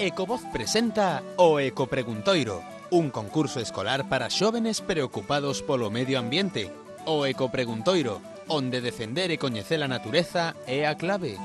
Ecovoz presenta o Ecopreguntoiro, un concurso escolar para xóvenes preocupados polo medio ambiente. O Ecopreguntoiro, onde defender e coñecer a natureza é a clave.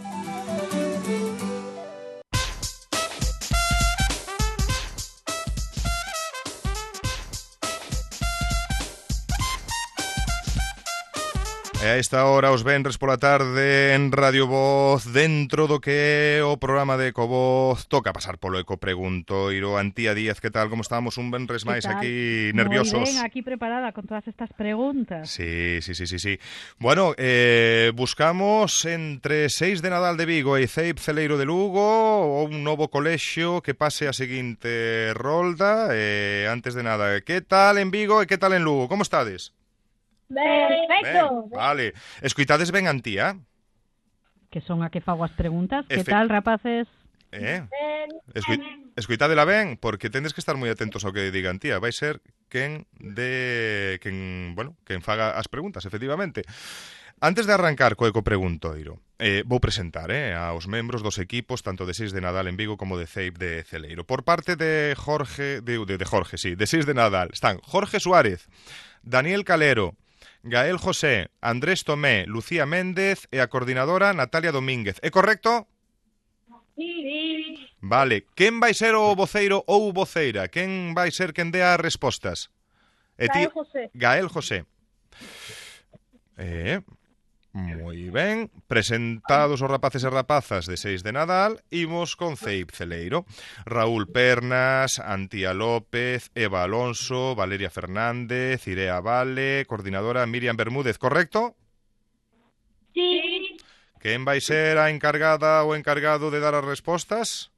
E a esta hora, os venres pola tarde en Radio Voz, dentro do que é o programa de Ecovoz, toca pasar polo Ecopreguntoiro. Antía Díaz, que tal? Como estamos? Un venres máis aquí nerviosos. Moi ben, aquí preparada con todas estas preguntas. Sí. Bueno, buscamos entre 6 de Nadal de Vigo e Ceip Celeiro de Lugo un novo colexio que pase a seguinte rolda. Antes de nada, que tal en Vigo e que tal en Lugo? Como estades? Perfecto. Ben, vale. Escoitades ben Antía? Que son a que fago as preguntas. Que tal, rapaces? Escoitadela ben, porque tendes que estar moi atentos ao que diga Antía. Vai ser quen faga as preguntas, efectivamente. Antes de arrancar co Ecopreguntoiro, vou presentar aos membros dos equipos, tanto de 6 de Nadal en Vigo como de Ceip de Celeiro. Por parte de de 6 de Nadal, están Jorge Suárez, Daniel Calero, Gael José, Andrés Tomé, Lucía Méndez e a coordinadora Natalia Domínguez. É correcto? Sí. Vale. Quen vai ser o voceiro ou voceira? Quen vai ser quen dea as respostas? Gael José. Gael José. Moi ben. Presentados os rapaces e rapazas de 6 de Nadal, imos con Ceip Celeiro. Raúl Pernas, Antía López, Eva Alonso, Valeria Fernández, Irea Vale, coordinadora Miriam Bermúdez, correcto? Sí. Quen vai ser a encargada ou encargado de dar as respostas?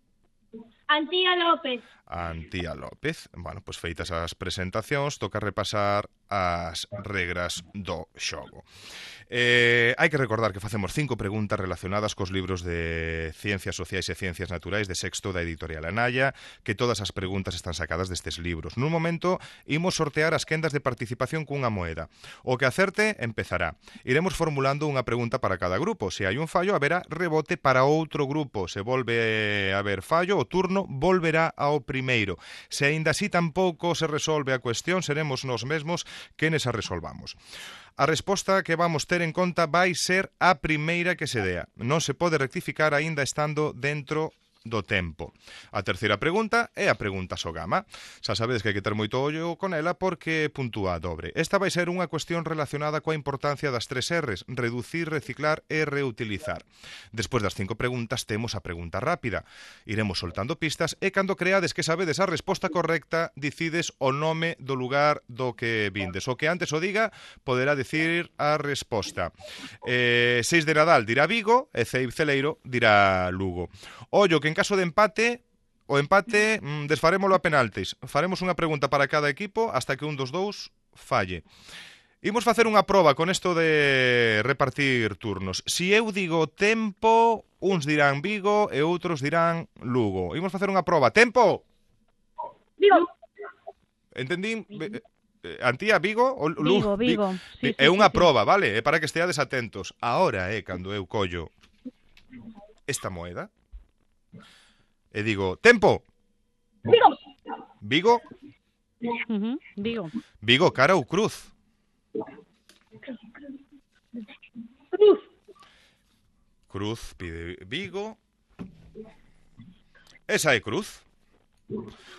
Antía López. Antía López. Bueno, pois feitas as presentacións, toca repasar as regras do xogo. Hai que recordar que facemos 5 preguntas relacionadas cos libros de Ciencias Sociais e Ciencias Naturais de sexto da editorial Anaya, que todas as preguntas están sacadas destes libros. Nun momento, imos sortear as quendas de participación cunha moeda. O que acerte empezará. Iremos formulando unha pregunta para cada grupo. Se hai un fallo, haberá rebote para outro grupo. Se volve a haber fallo, o turno volverá ao primeiro. Se aínda así tampouco se resolve a cuestión, seremos nós mesmos quenes a resolvamos. A resposta que vamos ter en conta vai ser a primeira que se dea. Non se pode rectificar aínda estando dentro do tempo. A terceira pregunta é a pregunta Sogama. Xa sabedes que hai que ter moito ollo con ela porque puntúa a dobre. Esta vai ser unha cuestión relacionada coa importancia das 3 R's: reducir, reciclar e reutilizar. Despois das 5 preguntas temos a pregunta rápida. Iremos soltando pistas e cando creades que sabedes a resposta correcta, dicides o nome do lugar do que vindes. O que antes o diga poderá dicir a resposta. 6 de Nadal dirá Vigo e Ceip Celeiro dirá Lugo. Ollo que en caso de empate, o empate desfarémolo a penaltis. Faremos unha pregunta para cada equipo hasta que un dos dous falle. Imos facer unha proba con isto de repartir turnos. Si eu digo tempo, uns dirán Vigo e outros dirán Lugo. Imos facer unha proba. Tempo! Vigo. Entendín? Antía, Vigo? O Lugo? Vigo. Sí, é unha proba, vale? É para que esteades atentos. Ahora é cando eu collo esta moeda e digo, tempo. Vigo. Vigo? Vigo. Vigo, cara ou cruz? Cruz. Cruz pide Vigo. Esa é cruz.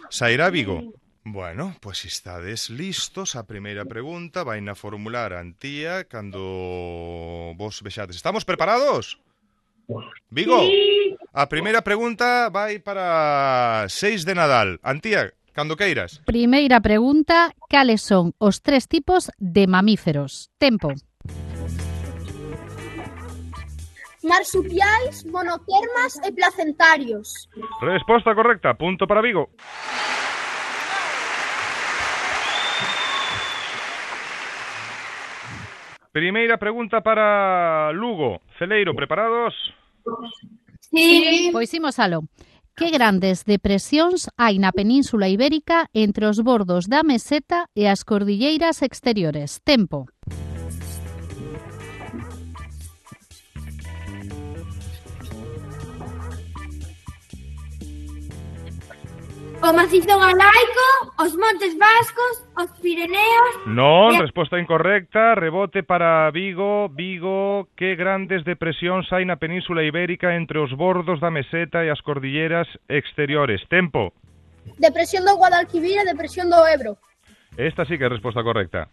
Sairá Vigo. Bueno, pois estades listos. A primeira pregunta vai na formular Antía cando vos vexades. Estamos preparados? Vigo? Sí. A primeira pregunta vai para 6 de Nadal. Antía, cando queiras. Primeira pregunta, cales son os 3 tipos de mamíferos? Tempo. Marsupiais, monotermas e placentarios. Resposta correcta, punto para Vigo. Primeira pregunta para Lugo. Celeiro, preparados? Sí. Pois imos alo. Que grandes depresións hai na Península Ibérica entre os bordos da meseta e as cordilleiras exteriores? Tempo. O macizo galaico, os montes vascos, os Pireneos... Non, resposta incorrecta, rebote para Vigo. Vigo, que grandes depresións hai na Península Ibérica entre os bordos da meseta e as cordilleras exteriores? Tempo. Depresión do Guadalquivir e depresión do Ebro. Esta sí que é resposta correcta.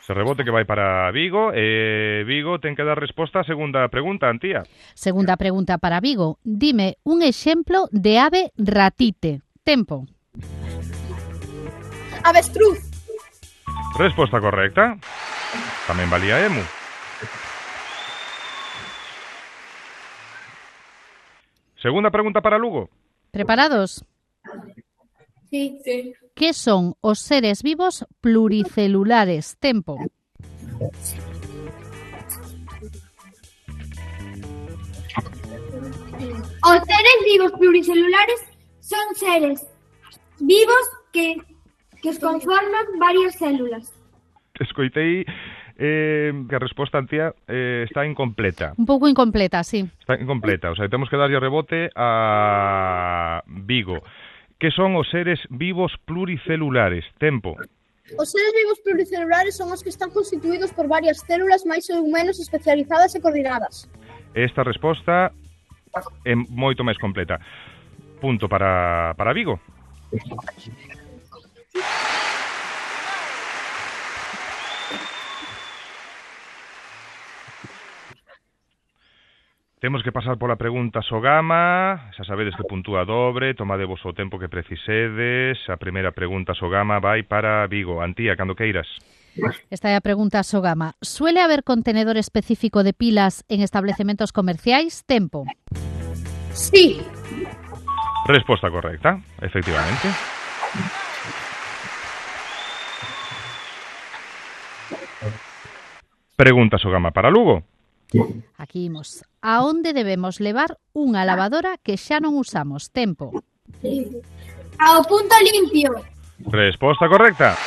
Se rebote que vai para Vigo. Vigo ten que dar resposta á segunda pregunta, Antía. Segunda pregunta para Vigo. Dime un exemplo de ave ratite. Tempo. Avestruz. Resposta correcta. Tamén valía emu. Segunda pregunta para Lugo. ¿Preparados? Sí. ¿Qué son os seres vivos pluricelulares? Tempo. Os seres vivos pluricelulares son seres vivos que os conforman varias células. Escoitei que a resposta, Antía, está incompleta. Un pouco incompleta, sí. Está incompleta, o sea, temos que darlle rebote a Vigo. Que son os seres vivos pluricelulares? Tempo. Os seres vivos pluricelulares son os que están constituídos por varias células máis ou menos especializadas e coordinadas. Esta resposta é moito máis completa. Punto para Vigo. Temos que pasar pola pregunta Sogama. Xa sabedes que puntúa dobre, tomadevos o tempo que precisedes. A primeira pregunta Sogama vai para Vigo. Antía, cando queiras. Esta é a pregunta Sogama. Suele haber contenedor específico de pilas en establecementos comerciais? Tempo. Sí. Resposta correcta, efectivamente. Pregunta Sogama para Lugo. Aquí imos. A onde debemos levar unha lavadora que xa non usamos? Tempo. Ao punto limpio. Resposta correcta.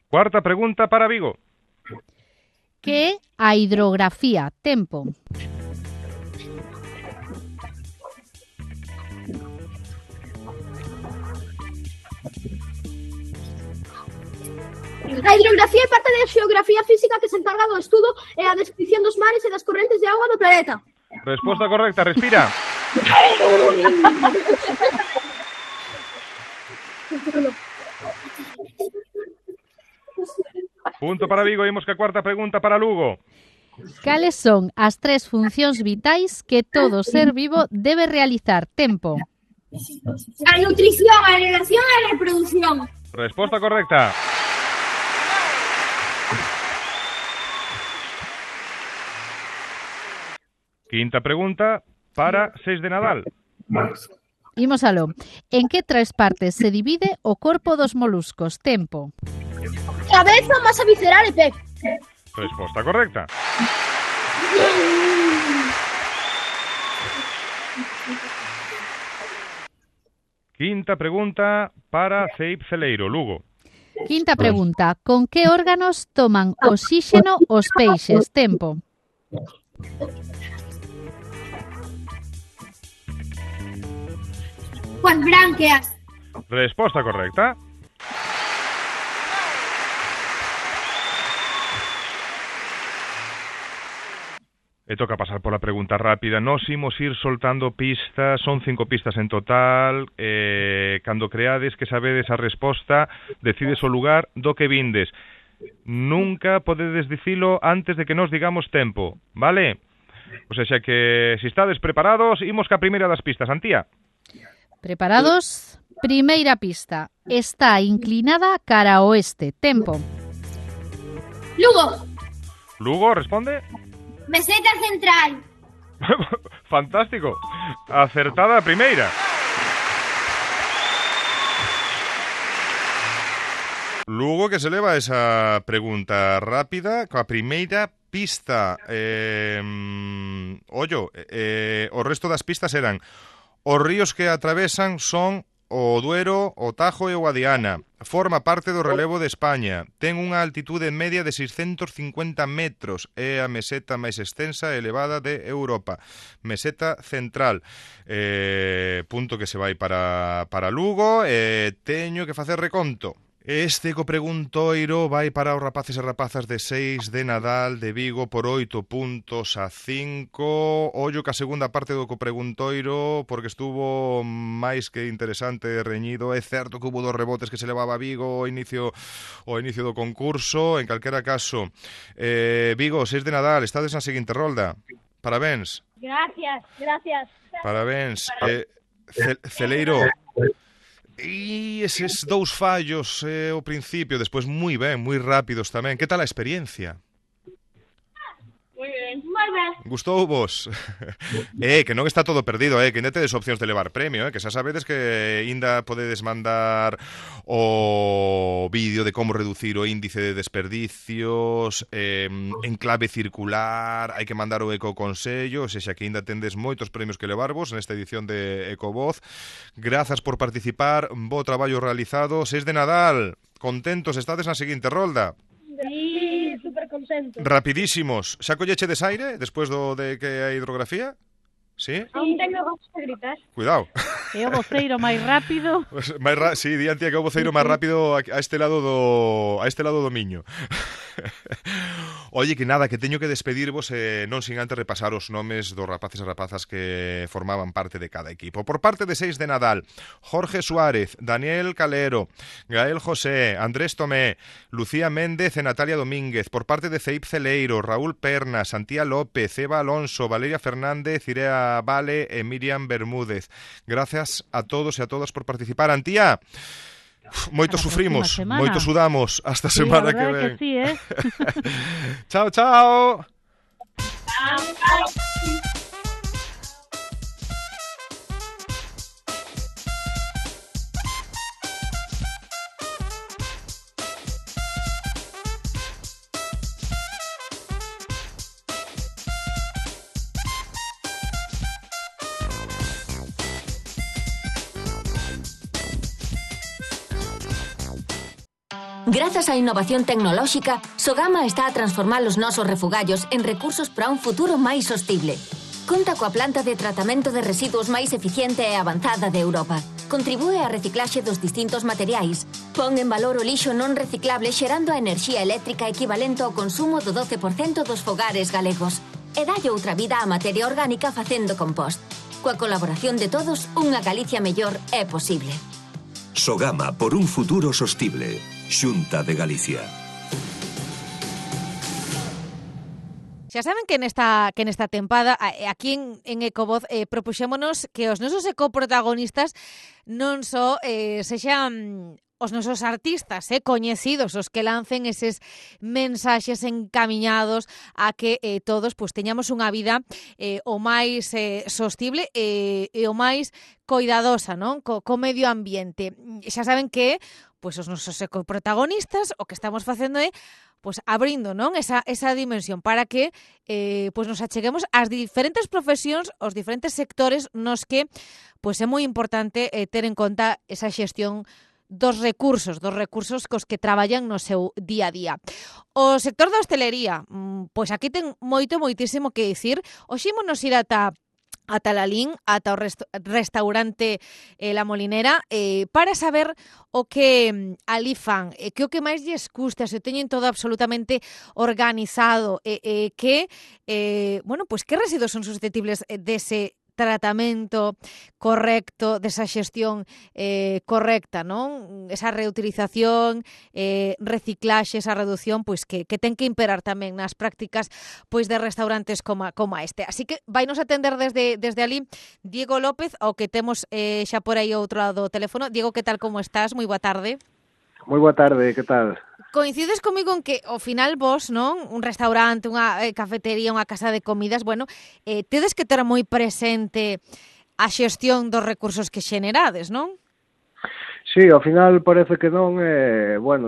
Cuarta pregunta para Vigo. Que é a hidrografía? Tempo. A hidrografía é parte da xeografía física que se encarga do estudo e a descripción dos mares e das correntes de auga do planeta. Resposta correcta, respira. Punto para Vigo, imos que a cuarta pregunta para Lugo. Cales son as tres funcións vitais que todo ser vivo debe realizar? Tempo. A nutrición, a relación e a reproducción. Resposta correcta. Quinta pregunta para 6 de Nadal. Imos aló. En que tres partes se divide o corpo dos moluscos? Tempo. Cabeza, masa visceral e pé. Resposta correcta. Quinta pregunta para Ceip Celeiro, Lugo. Quinta pregunta. Con que órganos toman oxígeno os peixes? Tempo. Coas bránqueas. Resposta correcta. E toca pasar pola pregunta rápida. Nos imos ir soltando pistas, son 5 pistas en total. Cando creades que sabedes a resposta, decides o lugar do que vindes. Nunca podedes dicilo antes de que nos digamos tempo, vale? O sea, xa que, se estades preparados, imos ca primeira das pistas, Antía. Preparados? Primeira pista. Está inclinada cara ao oeste. Tempo. Lugo. Lugo, responde. Meseta central. Fantástico. Acertada a primeira. Lugo que se leva esa pregunta rápida coa primeira pista. O resto das pistas eran: os ríos que atravesan son o Duero, o Tajo e o Guadiana. Forma parte do relevo de España. Ten unha altitude media de 650 metros. É a meseta máis extensa e elevada de Europa. Meseta central. Punto que se vai para Lugo. Teño que facer reconto. Este ecopreguntoiro vai para os rapaces e rapazas de 6 de Nadal de Vigo por 8 puntos a 5. Ollo que a segunda parte do ecopreguntoiro, porque estuvo máis que interesante e reñido. É certo que hubo 2 rebotes que se levaba a Vigo ao inicio do concurso. En calquera caso, Vigo, 6 de Nadal, estades na seguinte rolda. Parabéns. Gracias. Parabéns. Celeiro, e eses 2 fallos ao principio, despois moi ben, moi rápidos tamén. Que tal a experiencia? Moi ben. Gustou vos? Que non está todo perdido, que ainda tedes opcións de levar premio, que xa sabedes que ainda podedes mandar o vídeo de como reducir o índice de desperdicios en clave circular, hai que mandar o ecoconsello, ou seja, que ainda tendes moitos premios que levarvos nesta edición de Ecovoz. Grazas por participar, bo traballo realizado. 6 de Nadal, contentos, estades na seguinte rolda. Sí, super contento. Rapidísimos. Xa colleche desaire despois de que a hidrografía? Sí? Aún tengo ganas de gritar. Cuidado. É o voceiro máis rápido. Sí, di Antía que é o voceiro máis rápido a este lado do Miño. Oye, que nada, que teño que despedirvos non sin antes repasar os nomes dos rapaces e rapazas que formaban parte de cada equipo. Por parte de 6 de Nadal, Jorge Suárez, Daniel Calero, Gael José, Andrés Tomé, Lucía Méndez e Natalia Domínguez. Por parte de Ceip Celeiro, Raúl Pernas, Antía López, Eva Alonso, Valeria Fernández, Irea Vale e Miriam Bermúdez. Gracias a todos e a todas por participar. Antía, moito sufrimos, moito sudamos. Hasta Sí, semana a que verdade ven. que sí, Chao, chao. Grazas á innovación tecnolóxica, Sogama está a transformar os nosos refugallos en recursos para un futuro máis sostible. Conta coa planta de tratamento de residuos máis eficiente e avanzada de Europa. Contribúe á reciclaxe dos distintos materiais. Pon en valor o lixo non reciclable xerando a enerxía eléctrica equivalente ao consumo do 12% dos fogares galegos. E dalle outra vida á materia orgánica facendo compost. Coa colaboración de todos, unha Galicia mellor é posible. Sogama por un futuro sostible. Xunta de Galicia. Xa saben que nesta tempada aquí en Ecovoz propuxémonos que os nosos ecoprotagonistas non só sexan os nosos artistas coñecidos, os que lancen eses mensaxes encamiñados a que todos pues, teñamos unha vida o máis sostible e o máis coidadosa, non? Co medio ambiente. Xa saben que pues, os nosos ecoprotagonistas o que estamos facendo é pues abrindo, non, esa dimensión para que pues nos acheguemos ás diferentes profesións, aos diferentes sectores nos que pues é moi importante ter en conta esa xestión dos recursos cos que traballan no seu día a día. O sector da hostelería, pois aquí ten moitísimo que dicir. Hoxe ímonos ir ata Lalín, ata o restaurante La Molinera, para saber o que ali fan, que o que máis lles gusta, se teñen todo absolutamente organizado, que residuos son susceptibles dese tratamento correcto, desa xestión correcta, non? Esa reutilización, reciclaxe, esa reducción, pois que ten que imperar tamén nas prácticas pois de restaurantes como este. Así que vainos atender desde ali Diego López, ao que temos xa por aí outro lado do teléfono. Diego, que tal, como estás? Moi boa tarde. Moi boa tarde, que tal? Coincides comigo en que ao final vos, non, un restaurante, unha cafetería, unha casa de comidas, tedes que ter moi presente a xestión dos recursos que xenerades, non? Sí, ao final parece que non,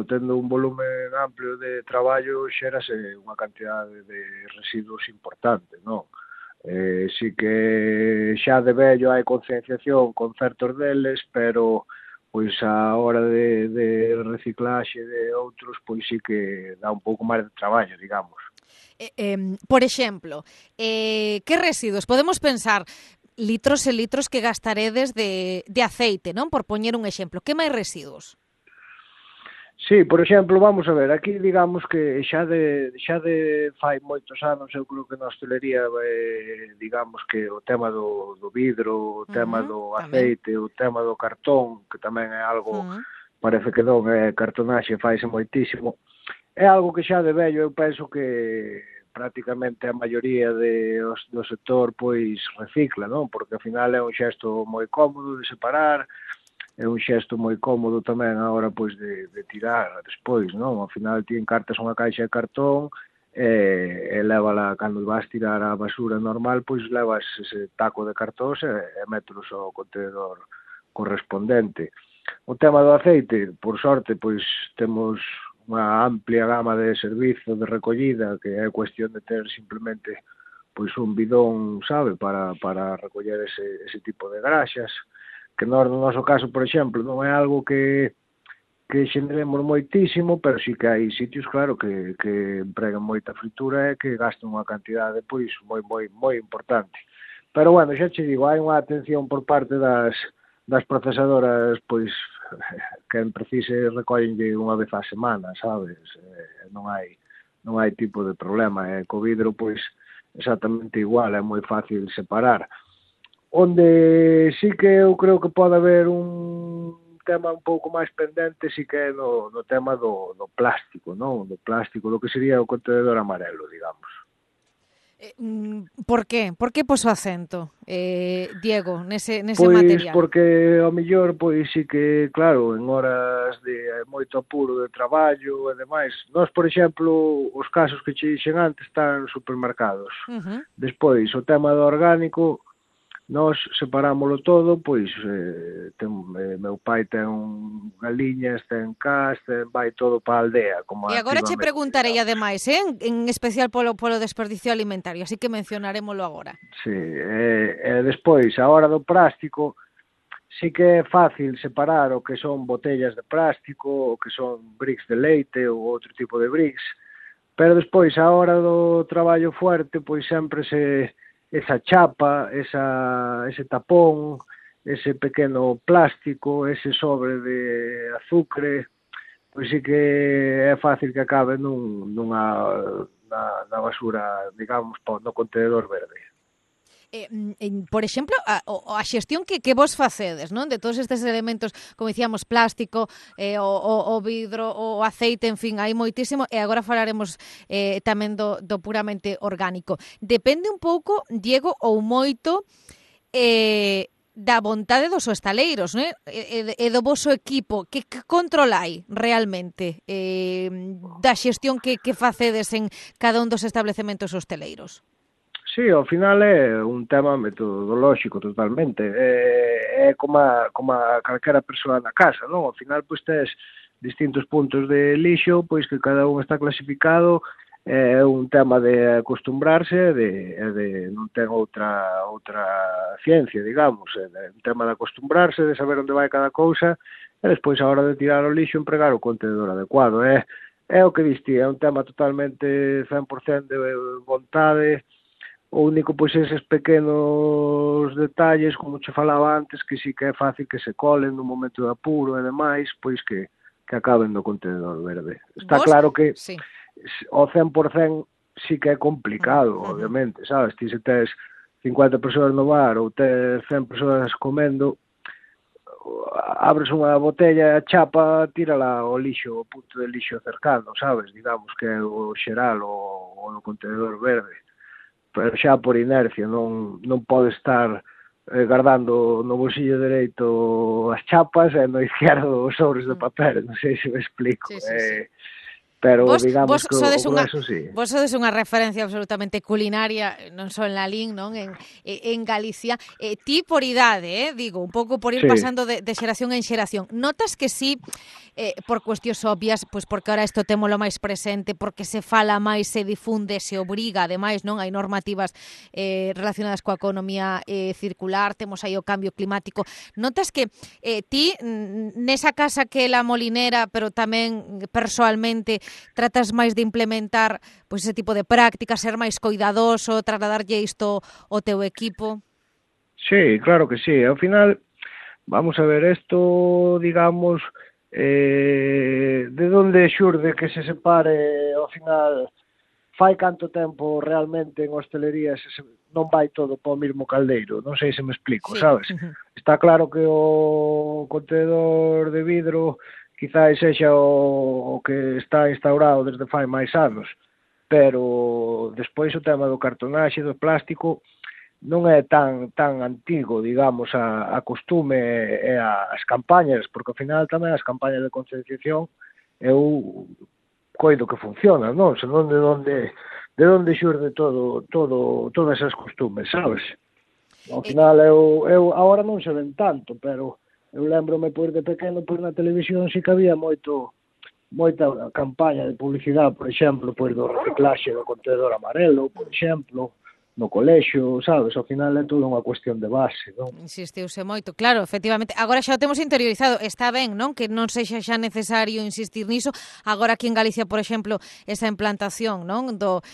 tendo un volumen amplio de traballo xérase unha cantidade de residuos importante, non? Sí que xa de vello hai concienciación con certos deles, pero pois a hora de reciclaxe de outros, pois sí que dá un pouco máis de traballo, digamos. Por exemplo, que residuos? Podemos pensar litros e litros que gastaredes de aceite, non? Por poñer un exemplo. Que máis residuos? Sí, por exemplo, vamos a ver, aquí digamos que xa de fai moitos anos, eu creo que na hostelería, digamos que o tema do vidro, o tema do aceite, o tema do cartón, que tamén é algo, parece que non, cartonaxe faise moitísimo, é algo que xa de vello eu penso que prácticamente a maioría do sector pois recicla, non? Porque ao final é un xesto moi cómodo de separar, é un xesto moi cómodo tamén a hora pois de tirar despois, non? Ao final ti encartas unha caixa de cartón e lévala cando vas tirar a basura normal, pois levas ese taco de cartóns e mételos ao contenedor correspondente. O tema do aceite, por sorte, pois temos unha amplia gama de servizo de recollida que é cuestión de ter simplemente pois un bidón, sabe, para recoller ese tipo de graxas, que nós, no noso caso, por exemplo, non é algo que xeneremos moitísimo, pero sí que hai sitios, claro, que empregan moita fritura e que gastan unha cantidade pois moi importante. Pero, bueno, xa che digo, hai unha atención por parte das procesadoras, pois, quen precise recollenlle unha vez á semana, sabes? Non hai tipo de problema. Co vidro, pois, exactamente igual, é moi fácil separar. Onde sí que eu creo que pode haber un tema un pouco máis pendente sí que é no tema do plástico, non? Do plástico, do que sería o contenedor amarelo, digamos. Por qué? Por que pos o acento, Diego, nese pois, material? Pois porque ao mellor, pois sí que, claro, en horas de moito apuro de traballo e demais, nós, por exemplo, os casos que che dixen antes están nos supermercados. Despois, o tema do orgánico, nós separámoslo todo, pois meu pai ten galiñas, ten cas, vai todo para a aldea. E agora che preguntarei ademais, en especial polo desperdicio alimentario, así que mencionarémoslo agora. Sí, e despois, a hora do plástico, sí que é fácil separar o que son botellas de plástico, o que son bricks de leite ou outro tipo de bricks, pero despois, a hora do traballo fuerte, pois sempre esa chapa, ese tapón, ese pequeno plástico, ese sobre de azucre, pois sí que é fácil que acabe na basura, digamos, no contenedor verde. Por exemplo, a xestión que vos facedes, non? De todos estes elementos, como dicíamos, plástico, o vidro, o aceite, en fin, hai moitísimo, e agora falaremos tamén do puramente orgánico. Depende un pouco, Diego, ou moito da vontade dos hostaleiros, non? E do voso equipo, que controlai realmente da xestión que facedes en cada un dos establecementos hosteleiros? Sí, ao final é un tema metodolóxico totalmente. É como a calquera persoa na casa, non? Ao final, pois, tes distintos puntos de lixo, pois que cada un está clasificado, é un tema de acostumbrarse, de non ten outra ciencia, digamos, é un tema de acostumbrarse, de saber onde vai cada cousa, e despois, a hora de tirar o lixo, empregar o contenedor adecuado. É o que diste, é un tema totalmente 100% de vontade. O único, pois, eses pequenos detalles, como che falaba antes, que sí que é fácil que se colen no momento de apuro e demais, pois que acaben no contenedor verde. Está claro que ao 100% sí que é complicado, obviamente, sabes? Ti se tes 50 persoas no bar ou tes 100 persoas comendo, abres unha botella, chapa, tírala ao lixo, o punto de lixo cercano, sabes? Digamos que é o xeral ou no contenedor verde. Pero xa por inercia, non pode estar guardando no bolsillo dereito as chapas e no izquierdo os sobres de papel, non sei se me explico. pero vos digamos que o sodes grueso sí. Vos sodes unha referencia absolutamente culinaria, non só en Lalín, non en Galicia. Ti por idade, digo, un pouco por ir pasando de xeración en xeración. Notas que sí, por cuestións obvias, pois porque ahora isto témolo máis presente, porque se fala máis, se difunde, se obriga, ademais, non hai normativas relacionadas coa economía circular, temos aí o cambio climático. Notas que ti, nesa casa que é La Molinera, pero tamén persoalmente, tratas máis de implementar pois ese tipo de prácticas, ser máis coidadoso, trasladarlle isto ao teu equipo? Sí, claro que sí. Ao final, vamos a ver, isto, digamos, de onde xurde que se separe, ao final, fai canto tempo realmente en hostelería non vai todo para o mesmo caldeiro, non sei se me explico, sabes? Está claro que o contenedor de vidro quizás sexa o que está instaurado desde fai máis anos, pero despois o tema do cartonaxe, do plástico, non é tan antigo, digamos, a costume e as campañas, porque ao final tamén as campañas de concienciación eu coido que funcionan, non? Senón de onde xurde todas esas costumes, sabes? Ao final eu agora non se ven tanto, pero eu lembrome, pois, de pequeno, pois, na televisión sí que había moita campaña de publicidade, por exemplo, pois, do reciclaxe do contenedor amarelo, por exemplo, no colexio, sabes? Ao final é toda unha cuestión de base, non? Insistiuse moito, claro, efectivamente. Agora xa o temos interiorizado, está ben, non? Que non sexa xa necesario insistir niso. Agora aquí en Galicia, por exemplo, esa implantación, non? Do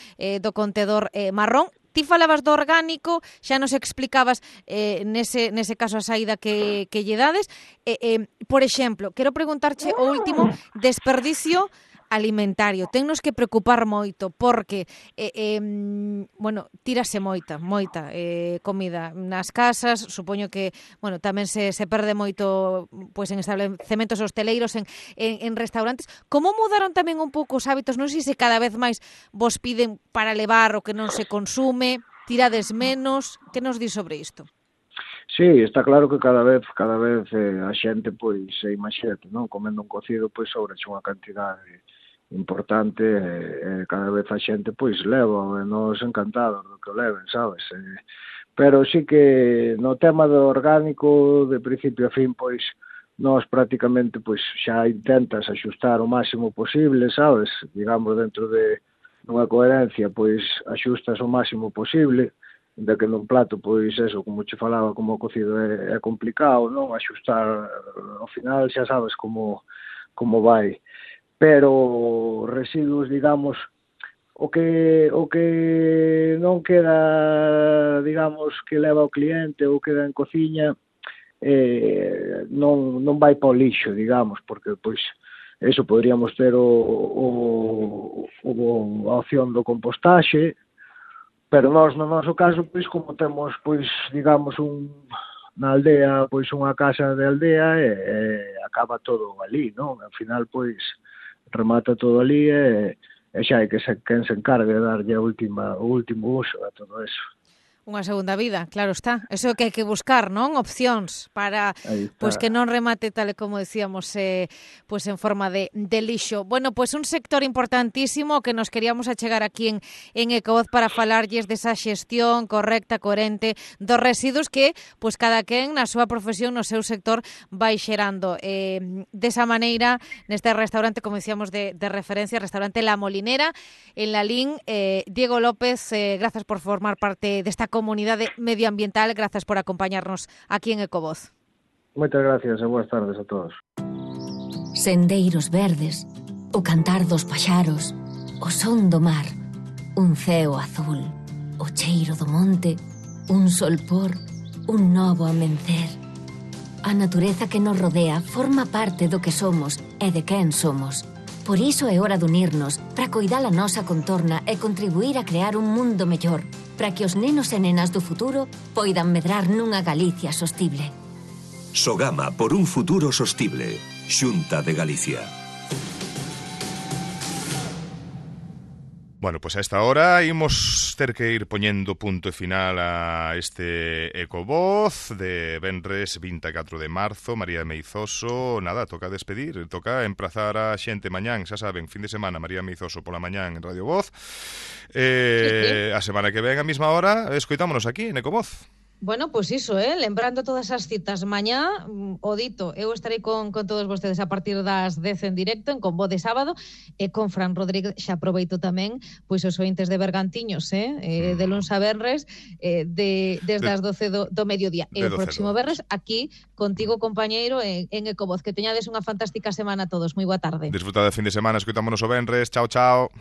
contenedor marrón. Ti falabas do orgánico, xa nos explicabas nese caso a saída que lle dades. Por exemplo, quero preguntarche o último, desperdicio alimentario. Tennos que preocupar moito porque tírase moita comida nas casas, supoño que, tamén se perde moito pois en establecementos hosteleiros, en restaurantes. Como mudaron tamén un pouco os hábitos? Non sei se cada vez máis vos piden para levar o que non se consume, tirades menos. Que nos di sobre isto? Sí, está claro que cada vez a xente, pois, imagínate, non? Comendo un cocido, pois, sobreche unha cantidade importante, cada vez a xente, pois, leva, e nos encantados do que o leven, sabes? Pero sí que no tema do orgánico, de principio a fin, pois, nós prácticamente, pois, xa intentas axustar o máximo posible, sabes? Digamos, dentro de unha coherencia, pois, axustas o máximo posible, de que nun plato, pois, eso, como che falaba, como o cocido é complicado, non? Axustar, ao final, xa sabes como vai. Pero residuos, digamos, o que non queda, digamos, que leva o cliente ou queda en cociña, non vai para o lixo, digamos, porque, pois, eso poderíamos ter a opción do compostaxe, pero nós, no noso caso, pois, como temos, pois, digamos, na aldea, pois, unha casa de aldea, acaba todo ali, non? Al final, pois, remata todo ali e xa hai quen se encargue de darlle o último uso a todo eso. Unha segunda vida, claro está. Eso que hai que buscar, non? Opcións para pois que non remate tal e como decíamos pois en forma de lixo. Bueno, pois un sector importantísimo que nos queríamos achegar aquí en Ecovoz para falarlles desa xestión correcta, coherente dos residuos que pois cada quen na súa profesión, no seu sector vai xerando. Desa maneira, neste restaurante, como decíamos de referencia, restaurante La Molinera en Lalín, Diego López, grazas por formar parte desta comunidade medioambiental, grazas por acompañarnos aquí en Ecovoz. Moitas gracias e boas tardes a todos. Sendeiros verdes, o cantar dos paxaros, o son do mar, un ceo azul, o cheiro do monte, un solpor, un novo amencer. A natureza que nos rodea forma parte do que somos e de quen somos. Por iso é hora de unirnos para coidar a nosa contorna e contribuir a crear un mundo mellor, para que os nenos e nenas do futuro poidan medrar nunha Galicia sostible. Sogama por un futuro sostible. Xunta de Galicia. Bueno, pois a esta hora imos ter que ir poñendo punto e final a este Ecovoz de venres 24 de marzo. María Meizoso, nada, toca despedir, toca emprazar a xente mañán, xa saben, fin de semana, María Meizoso pola mañán en Radio Voz. Sí. A semana que ven a mesma hora, escoitámonos aquí en Ecovoz. Bueno, pois iso, lembrando todas as citas mañá, o dito, eu estarei con todos vostedes a partir das 10 en directo, en Combo de sábado, e con Fran Rodríguez, xa aproveito tamén, pois os ointes de Bergantiños, de luns a venres, desde as 12 do mediodía. E o próximo venres, aquí, contigo, compañeiro, en Ecovoz. Que teñades unha fantástica semana a todos. Moi boa tarde. Disfruta de fin de semana, escoitámonos o venres. Chao, chao.